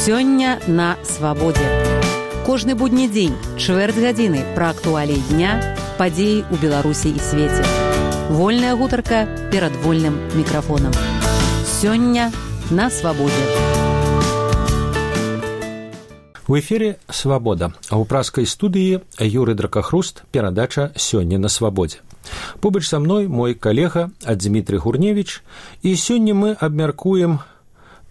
Сёння на свабодзе. Кожны будні дзень, чвэрць гадзіны пра актуаліі дня, падзеі ў Беларусі і свеце. Вольная гутарка перад вольным мікрафонам. Сёння на свабодзе. У эфире «Свобода», а ў праскай студыі Юрый Дракахруст, перадача «Сёння на свабодзе». Побач са мной мой калега Дмітрый Гурневіч, і сёння мы абмяркуем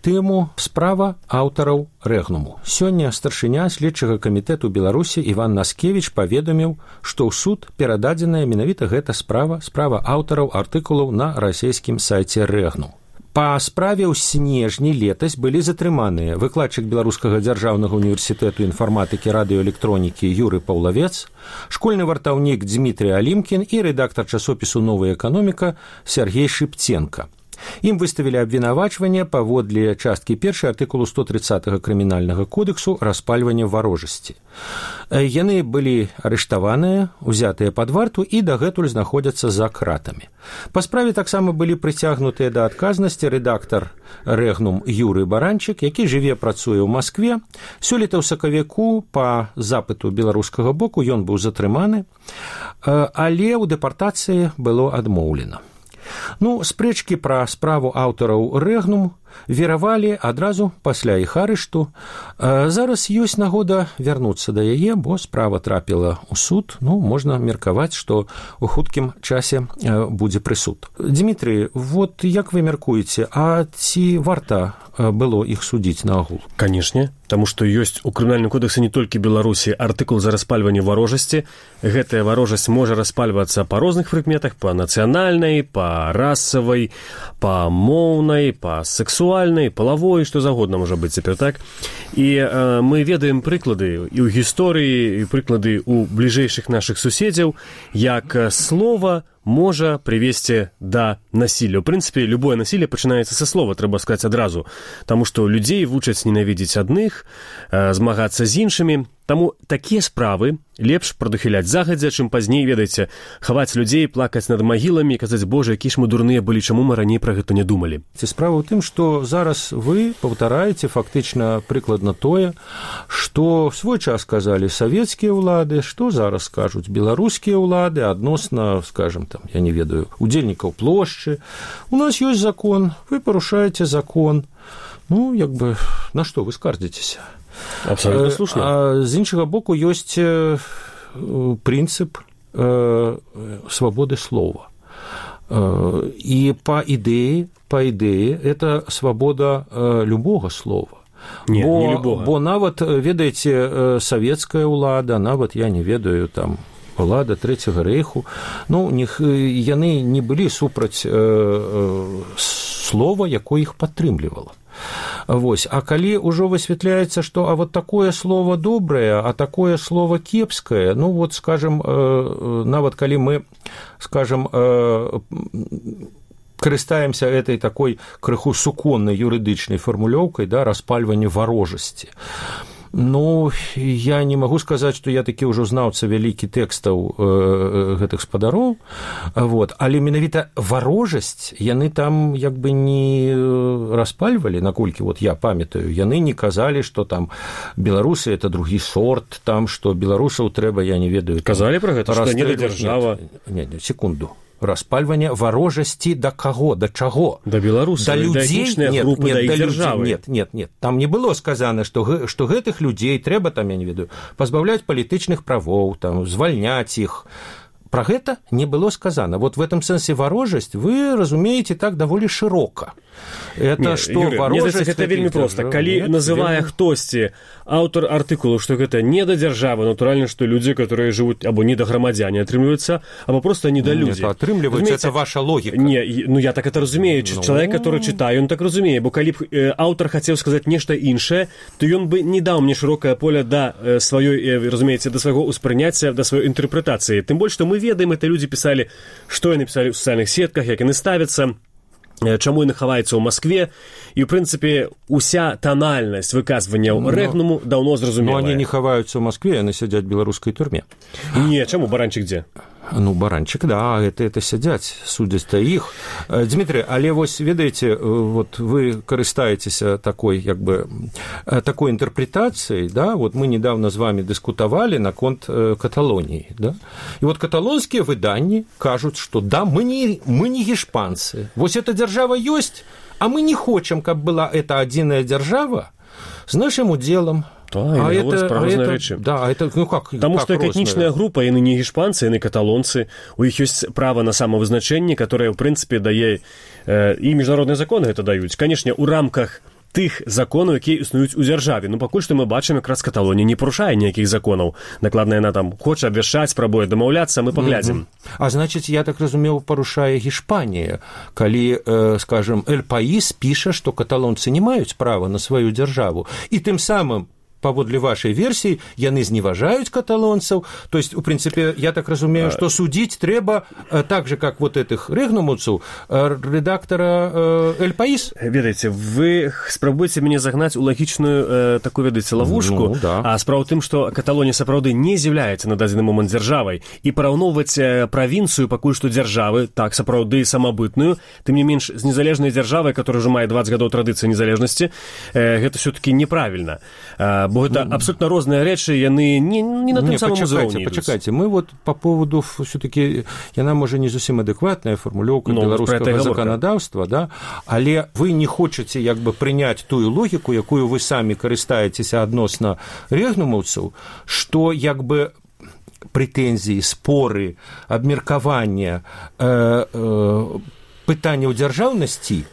тэму справа аўтараў рэгнуму. Сёння старшыня следчага камітэту Беларусі Іван Наскевіч паведаміў, што ў суд перададзеная менавіта гэта справа аўтараў артыкулаў на расійскім сайце рэгнум. Па справе ў снежні летась былі затрыманыя выкладчык Беларускага дзяржаўнага універсітэту інфарматыкі радыёэлектронікі Юрый Паўлавец, школьны вартаўнік Дмітрий Алімкін і рэдактар часопісу «Новая эканоміка» Сергей Шыпценка. Ім выставілі абвінавачванне паводле часткі 1 артыкулу 130 крымінальнага кодексу распальвання варожасці. Яны былі арыштаваныя, узятыя пад варту і дагэтуль знаходзяцца за кратамі. Па справе таксама былі прыцягнутыя да адказнасці рэдактар рэгнум Юрый Баранчык, які жыве працуе ў Маскве. Сёлета ў сакавіку па запыту беларускага боку ён быў затрыманы, але ў дэпартацыі было адмоўлена. Спрэчкі пра справу аўтараў рэгнум веравалі адразу пасля іх арышту. Зараз ёсць нагода вярнуцца да яе, бо справа трапіла ў суд. Можна меркаваць, што ў хуткім часе будзе прысуд. Дмітрий, вот як вы мяркуеце, а ці варта было іх судзіць наогул? Канешне, таму што ёсць у крымінальным кодексе не толькі Беларусі артыкул за распальванне варожасці. Гэтая варожасць можа распальвацца па розных прыкметах, па нацыянальнай, па расавай, па моўнай, па сексуальнай, палавой, што загодна можа быць цяпер, так? І мы ведаем прыклады і ў гісторыі, і прыклады ў бліжэйшых нашых суседзяў, як слова можа прывесці да насілля. У прынцыпе, любое насілле пачынаецца са слова, трэба сказаць адразу, таму што людзей вучаць ненавідзець адных, змагацца з іншымі. Таму такія справы лепш прадухіляць загадзя, чым пазней, ведаеце, хаваць людзей, плакаць над магіламі, казаць, божа, якія ж мы дурныя былі, чаму мы раней пра гэта не думалі. Справа ў тым, што зараз вы паўтараеце фактычна прыкладна тое, што в свой час казалі савецкія ўлады, што зараз скажуць беларускія ўлады адносна, скажем, там, я не ведаю, удзельнікаў плошчы. У нас ёсць закон, вы парушаеце закон. На што вы скардзіцеся? Абсолютно слушна. А з іншага боку ёсць прынцып свабоды слова. І па ідэі это свабода любога слова. Не любога. Бо нават, ведаеце, савецкая ўлада, нават, я не ведаю, там, ўлада Трэцяга рэйху, яны не былі супраць слова, якое іх падтрымлівала. А калі ўжо высвятляецца, што вот такое слово добрае, а такое слово кепскае, скажем, нават калі мы, скажем, карыстаемся этой такой крыху суконнай юрыдычнай фармулёўкай, распальвання варожасці. Я не магу сказаць, што я такі ўжо знаўца вялікі тэкстаў гэтых спадароў, але менавіта варожасць яны там як бы не распальвалі, наколькі я памятаю, яны не казалі, што там беларусы это другі сорт, там, што беларусаў трэба, я не ведаю. Казалі пра гэта, што не да дзяржава. Не, секунду. Распальвання варожасці да каго, да чаго? Да беларусаў, да людзей, групы, да іх дзяржавы. Нет, там не было сказана, што гэтых людзей трэба, там, я не ведаю, пазбаўляць палітычных правоў, там, звальняць іх. Пра гэта не было сказана. В этом сэнсе варожасць вы разумееце так даволі шырока. Это што варожасць... Гэта вельмі проста. Калі называе хтосьці аўтар артыкулу, што гэта не да дзяржавы, натуральна, што людзі, которые жывуць або не да грамадзяне атрымліваюцца, або проста не да людзі. Атрымліваюцца, это ваша логіка. Я так это разумею. Чалавек, который чытае, ён так разумее, бо калі б аўтар хацеў сказаць нешта іншае, то ён бы не даў мне шырокае поле да сваёй, разумееце, да свайго ўспрыняцця, да сваёй інтэрпрэтацыі. Тым больш, што мы ведаем, это люди писали, что яны писали в социальных сетках, як яны ставятся, чаму яны хаваюцца ў Маскве, і, ў прынцыпе, уся танальнасць выказванняў рэгнуму даўно зразумелая. Они не хаваюцца ў Маскве, яны сядзяць в беларускай турме. Не, чаму, Баранчык дзе? Ну, баранчик, да, это сядзяць, судзяць-то іх. Дмітрий, але вось, ведаеце, вот вы карыстаецеся такой интерпретацией, да, вот мы недавно с вами дискутовали наконт Каталонии, да, и вот каталонские выданні кажут, что да, мы не гешпанцы, вось эта держава есть, а мы не хотим, каб была эта адзіная держава с нашим уделом. Да, Таму што як этнічная група, яны не гешпанцы, яны каталонцы, у іх ёсць права на самавызначэнне, которое, в прынцыпе, дае і міжнародныя законы гэта даюць. Канешне, у рамках тых законаў, якія існуюць у дзяржаве. Ну, пакуль што мы бачым, якраз Каталонія не парушае ніякіх законаў. Накладна яна там хоча абвяшчаць, спрабуе дамаўляцца, мы паглядзім. А значыць, я так разумеў, парушае Гішпанія, калі, скажем, Эль Паís піша, што каталонцы не маюць права на сваю дзяржаву. І тым самым паводле вашей версии, яны зневажаюць каталонцаў. То есть, в принципе, я так разумею, что судить трэба так же, как вот этих рэгнумуцаў, редактора Эль Паís. Ведаеце, вы спрабуеце мяне загнаць у лагічную такую, ведаеце, ловушку, да. А справа ў тым, што Каталонія сапраўды не з'яўляецца на дадзены момант дзяржавай, і параўноўваць правінцыю пакуль што дзяржавы, так, сапраўды самабытную, тым не менш з незалежнай дзяржавай, которая ўжо мае 20 гадоў традыцыі незалежнасці, гэта ўсё-таки неправільна. Бо гэта абсолютно розныя рэчы, яны не на тым самым узроўні ідуць. Пачакайце, мы вот по поводу, все-таки, яна, можа, не зусім адэкватная фармулёўка беларускага заканадаўства, да? Але вы не хочаце, як бы, прыняць тую логіку, якую вы самі карыстаецеся адносна рэгнумаўцаў, што, як бы, прэтэнзіі, споры, абмеркаванне пытанняў дзяржаўнасці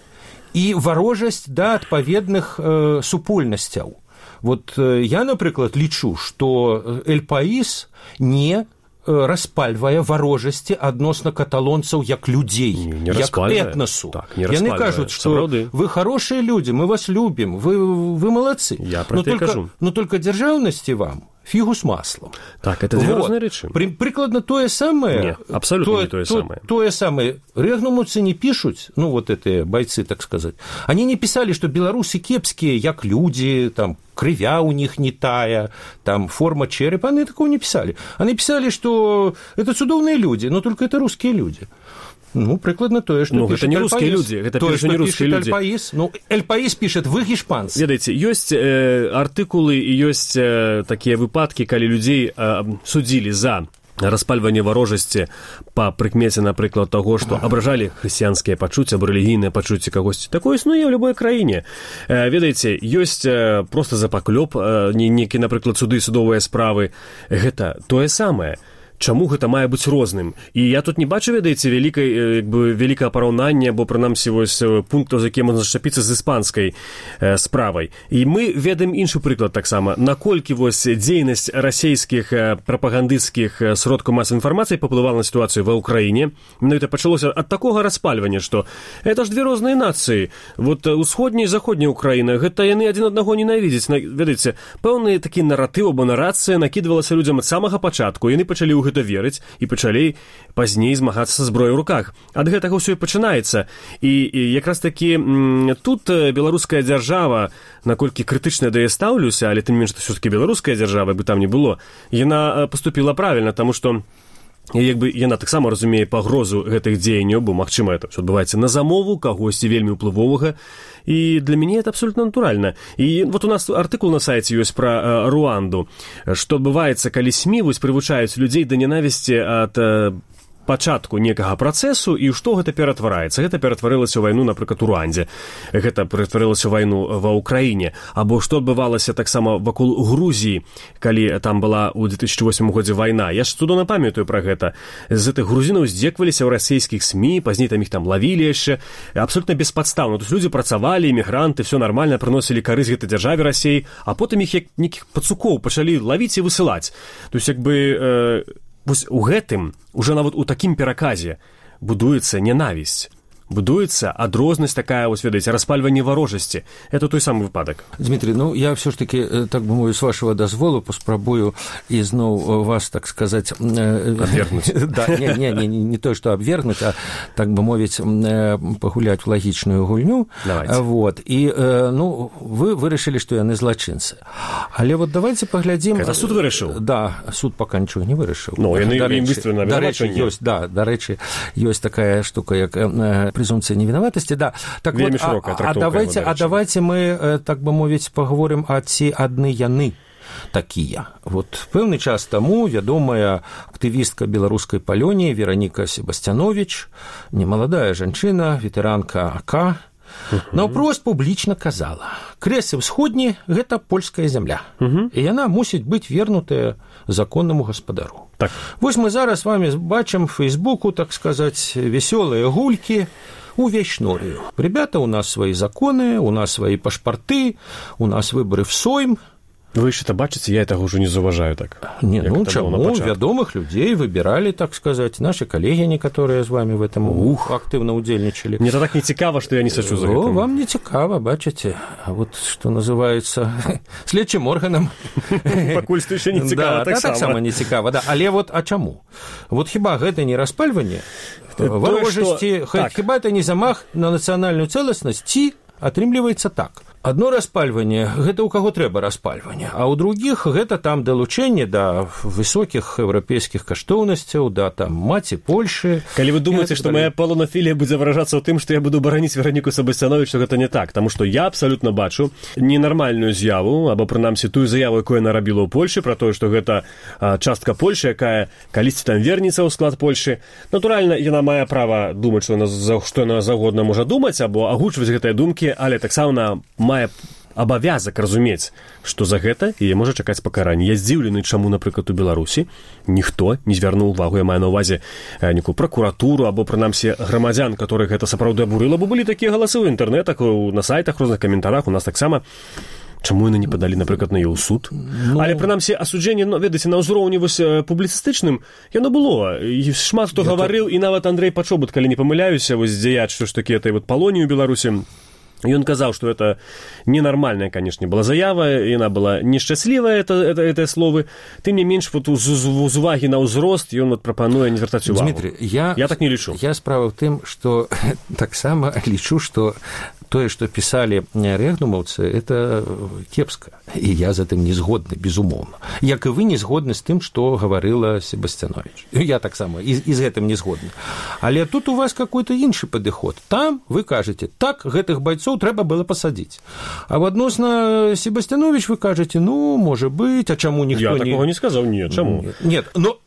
і варожасць да адпаведных супольнасцяў. Вот я, напрыклад, лічу, што Эль Паís не распальвае варожасці адносна каталонцаў як людзей, як этнасу. Так, яны кажуць, што вы хорошыя людзі, мы вас любім, вы малацы. Я про это кажу. Но только дзяржаўнасці вам фигу с маслом. Так, это две разные речи. Прикладно то самое. Нет, абсолютно не то самое. То самое. Рэгнумуцы не пишут, ну, вот эти бойцы, так сказать. Они не писали, что белорусы кепские, як люди, там, кривя у них не тая, там, форма черепа. Они такого не писали. Они писали, что это чудовные люди, но только это русские люди. Ну, прикладно тое, што пішет Эль Паís. Ну, гэта не рускія людзі, гэта пішуць не рускія людзі. Ну, Эль Паís пішет, вы гешпанцы. Ведаеце, ёсць артыкулы і ёсць такія выпадкі, калі людзей судзілі за распальванне варожасці па прыкмеце, напрыклад, таго, што абражалі хрысціянскія пачуцці або рэлігійныя пачуцці кагосьці. Такое існуе ў любой краіне. Ведаеце, ёсць проста за паклёп, некі, напрыклад, суды, судовыя справы. Гэта тое самае. Чаму гэта мае быць розным? І я тут не бачу, ведаеце, вялікае параўнанне, або, прынамсі, вось пунктаў, за якія можна зачапіцца з іспанскай справай. І мы ведаем іншы прыклад таксама. Наколькі вось дзейнасць расійскіх прапагандысцкіх сродкаў масавай інфармацыі паўплывала на сітуацыю ва ўкраіне. Менавіта пачалося ад такога распальвання, што это ж две розныя нацыі. Вот усходняя і заходняя Украіна, гэта яны адзін аднаго ненавідзяць. Ведаеце, пэўны такі наратыў або нарацыя накідвалася людзям ад самага пачатку. Яны пачалі ў гэта верыць і пачалі пазней змагацца са зброяй у руках. Ад гэтага ўсё і пачынаецца. І якраз такі тут беларуская дзяржава, наколькі крытычна да яе стаўлюся, але тым менш, ўсё-такі беларуская дзяржава, бы там не было, яна паступіла правільна, таму што яна таксама разумее пагрозу гэтых дзеянняў, бо, магчыма, это ўсё адбываецца на замову кагосьці вельмі ўплывовага, і для мяне это абсолютно натуральна. І вот у нас артыкул на сайце ёсць пра Руанду, што адбываецца, калі СМІ вось прывучаюць людзей да ненавісці ад пачатку некага працэсу, і што гэта ператвараецца? Гэта ператварылася ў вайну, напрыклад, у Руандзе. Гэта ператварылася ў вайну ва Ўкраіне. Або што адбывалася таксама вакол Грузіі, калі там была ў 2008 годзе вайна. Я ж цудоўна памятаю пра гэта. З гэтых грузінаў здзекваліся ў расійскіх СМІ, пазней там іх там лавілі яшчэ. Абсолютна беспадстаўна. То есть людзі працавалі, эмігранты, все нармальна, прыносілі карысць гэтай дзяржаве Расіі, а потым іх як нейкіх пацукоў пачалі лавіць і высылаць. То есть, як бы... Вось у гэтым, уже нават у такім пераказе, будуецца ненавісць. будуецца адрознасць такая, вось ведаеце, распальванне варожасці. Это той самы выпадак. Дмитрий, ну я все ж таки, так бы мовіць, з вашего дазволу паспрабую ізноў вас, так сказать, абвергнуць. Да, не то, что абвергнуць, а, так бы мовіць, пагуляць в лагічную гульню. Давайте. Вот. І, ну, вы вырашылі, што яны злачынцы. Але вот давайте паглядзім... Это суд вырашыў? Да, суд пока нічого не вырашыў. Ну, яны ім выставілі на вінавачанне. Да, дарэчы, ёсць такая штука, як презумпцыя невінаватасці. Да. Так вельмі вот, шырокая трактоўка. А давайте мы, так бы мовіць, паговорым, а ці адны яны такія. Вот пэўны час таму вядомая актывістка беларускай палоніі Вераніка Себасцяновіч, немаладая жанчына, ветэранка АК, наўпрост публічна казала: Крэсы ўсходні – гэта польская зямля, і яна мусіць быць вернутая законнаму гаспадару. Так. Вось мы зараз з вами бачым в Фейсбуку, так сказать, весёлыя гулькі увесь шнурю. Ребята, у нас свои законы, у нас свои пашпарты, у нас выборы в Сойм. Вы еще-то бачите, я этого уже не зауважаю так. Не, ну чему? Вядомых людей выбирали, так сказать, наши коллеги, некоторые с вами в этом активно удельничали. Мне это так не цікаво, что я не сочу за это. Вам не цікаво, бачите. А вот что называется следчим органом. Пакуль што еще не цікаво, так само не цікаво. Да. Але вот а чему? Вот хіба гэта не распальванне ворожасці, хіба это не замах на нацыянальную цэласнасць, ці атрымліваецца так. Одно распальванне, гэта ў каго трэба распальванне, а ў другіх гэта там далучэнне да высокіх еўрапейскіх каштоўнасцяў, да там маці Польшы. Калі вы думаеце, што моя палонафілія будзе выражацца ў тым, што я буду бараніць Вераніку Себасцяновіч, што гэта не так, таму што я абсалютна бачу ненармальную з'яву, або прынамсі тую заяву, якую яна рабіла ў Польшы, пра тое, што гэта частка Польшы, якая калісьці там вернецца ў склад Польшы. Натуральна, яна мае права думаць, што яна заўгодна можа думаць, або агучваць гэтыя думкі, але таксама мае абавязак разумець, што за гэта яе можа чакаць пакаранне. Я здзіўлены, чаму, напрыклад, у Беларусі ніхто не звярнуў увагу, я маю на ўвазе некую пракуратуру або, прынамсі, грамадзян, которых гэта сапраўды абурыла, бо былі такія галасы ў інтэрнетах, на сайтах, розных каментарах, у нас таксама. Чаму яны не падалі, напрыклад, на яе ў суд? Але, прынамсі, асуджэнне, ведаеце, на ўзроўні вось публіцыстычным, яно было. Шмат хто гаварыў, і нават Андрэй Пачобут, калі не памыляюся, вось дзеяч, што ж такі этой вот палоніі ў Беларусі, ён казаў, што это ненармальная, канешне, была заява, яна была нешчаслівая, это словы. Тым не менш, вот з увагі на ўзрост ён вот прапануе не звяртаць увагу. Дмитрий, я так не лічу. Я справа ў тым, што таксама лічу, што тое, што пісалі рэгнумаўцы, это кепска. І я з гэтым не згодны, безумоўна. Як і вы не згодны з тым, што гаварыла Себасцяновіч. Я таксама і з гэтым не згодны. Але тут у вас какой-то іншы падыход. Там вы кажаце, так, гэтых байцоў трэба было пасадзіць. А в адносна Себасцяновіч вы кажаце, ну, можа быць, а чаму ніхто не... Я такого не сказаў, не, чаму? Нет, но...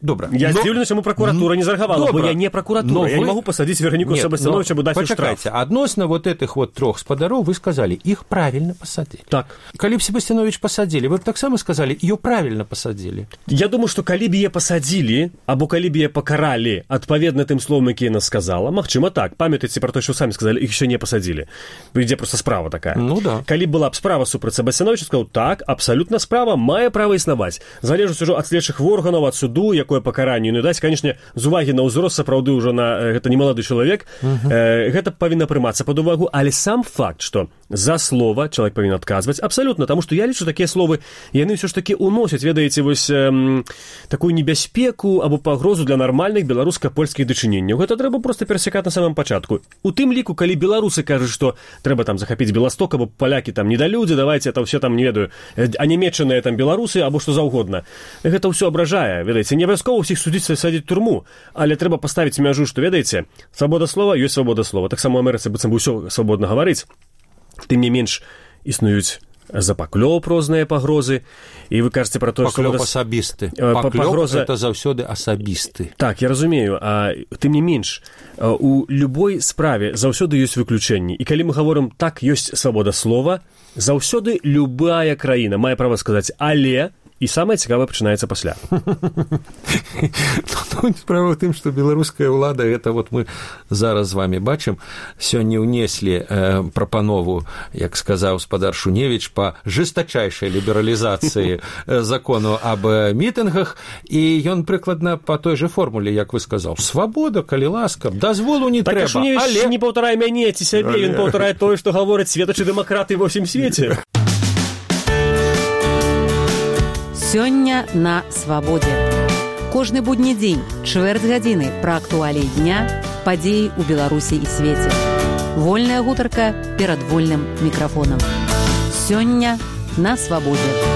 Добра. Я здзіўлены, чаму пракуратура не зарэагавала, бо я не пракуратура, я не могу пасадзіць Вераніку Себасцяновіча, бо даць у штраф. Пачакайце, адносна вот этих вот трох спадароў вы сказалі, іх правильно пасадзілі. Так. Калі б Себасцяновіч пасадзілі, вы б таксама сказалі, ее правильно пасадзілі. Я думаю, што калі б яе пасадзілі, або калі б яе пакаралі адпаведна тым словам, які яна сказала, магчыма так, памятаеце пра то, што самі сказалі, іх еще не пасадзілі. Ідзе проста справа такая. Ну да. Калі была б справа супраць Себасцяновіча, сказаў, так, абсалютна справа мае права існаваць. Залежыць ужо ад следчых органаў, ад суду, якое пакаранне не даць, конечно, з увагі на ўзрост, сапраўды ўжо на гэта немалады чалавек, гэта павінна прымацца пад увагу, але сам факт, што за слова чалавек павінен адказваць, абсалютна, таму што я лічу, такія словы, яны ўсё ж такі уносяць, ведаеце, вось такую небяспеку або пагрозу для нармальных беларуска-польскіх дачыненняў. Гэта трэба проста перасякаць на самым пачатку. У тым ліку, калі беларусы кажуць, што трэба там захапіць Беласток, або палякі там недалюдзі, давайце это ўсе там, не ведаю, а нямецчаныя там беларусы, або што заўгодна. Гэта ўсё абражае, ведаеце, не абавязкова ўсіх судзіць садзіць турму, але трэба паставіць мяжу, што, ведаеце, свабода слова ёсць свабода слова. Таксама ў Амерыцы быццам бы ўсё свабодна гаварыць. Тым не менш існуюць запаклёп розныя пагрозы, і вы кажаце пра то, што... Паклёп асабісты. Паклёп – это заўсёды асабісты. Так, я разумею. А тым не менш, у любой справе заўсёды ёсць выключэнні. І калі мы гаворым, так, ёсць свабода слова, заўсёды любая краіна мае права сказаць «але», і самае цікавае пачынаецца пасля. Справа ў тым, што беларуская ўлада, гэта вот мы зараз з вами бачым, сёння ўнеслі прапанову, як сказаў спадар Шуневіч, па жестачайшай лібералізацыі закону аб мітынгах, і ён прыкладна па той жа формуле, як вы сказаў, свабода, калі ласка, дазволу не трэба. Так, Шуневіч не паўтарае мяне ці сябе, ён паўтарае тое, што гавораць светачы дэмакраты ва ўсім свеце. Сёння на свабодзе. Кожны будні дзень, чвэрць гадзіны пра актуаліі дня, падзеі ў Беларусі і свеце. Вольная гутарка перад вольным мікрафонам. Сёння на свабодзе.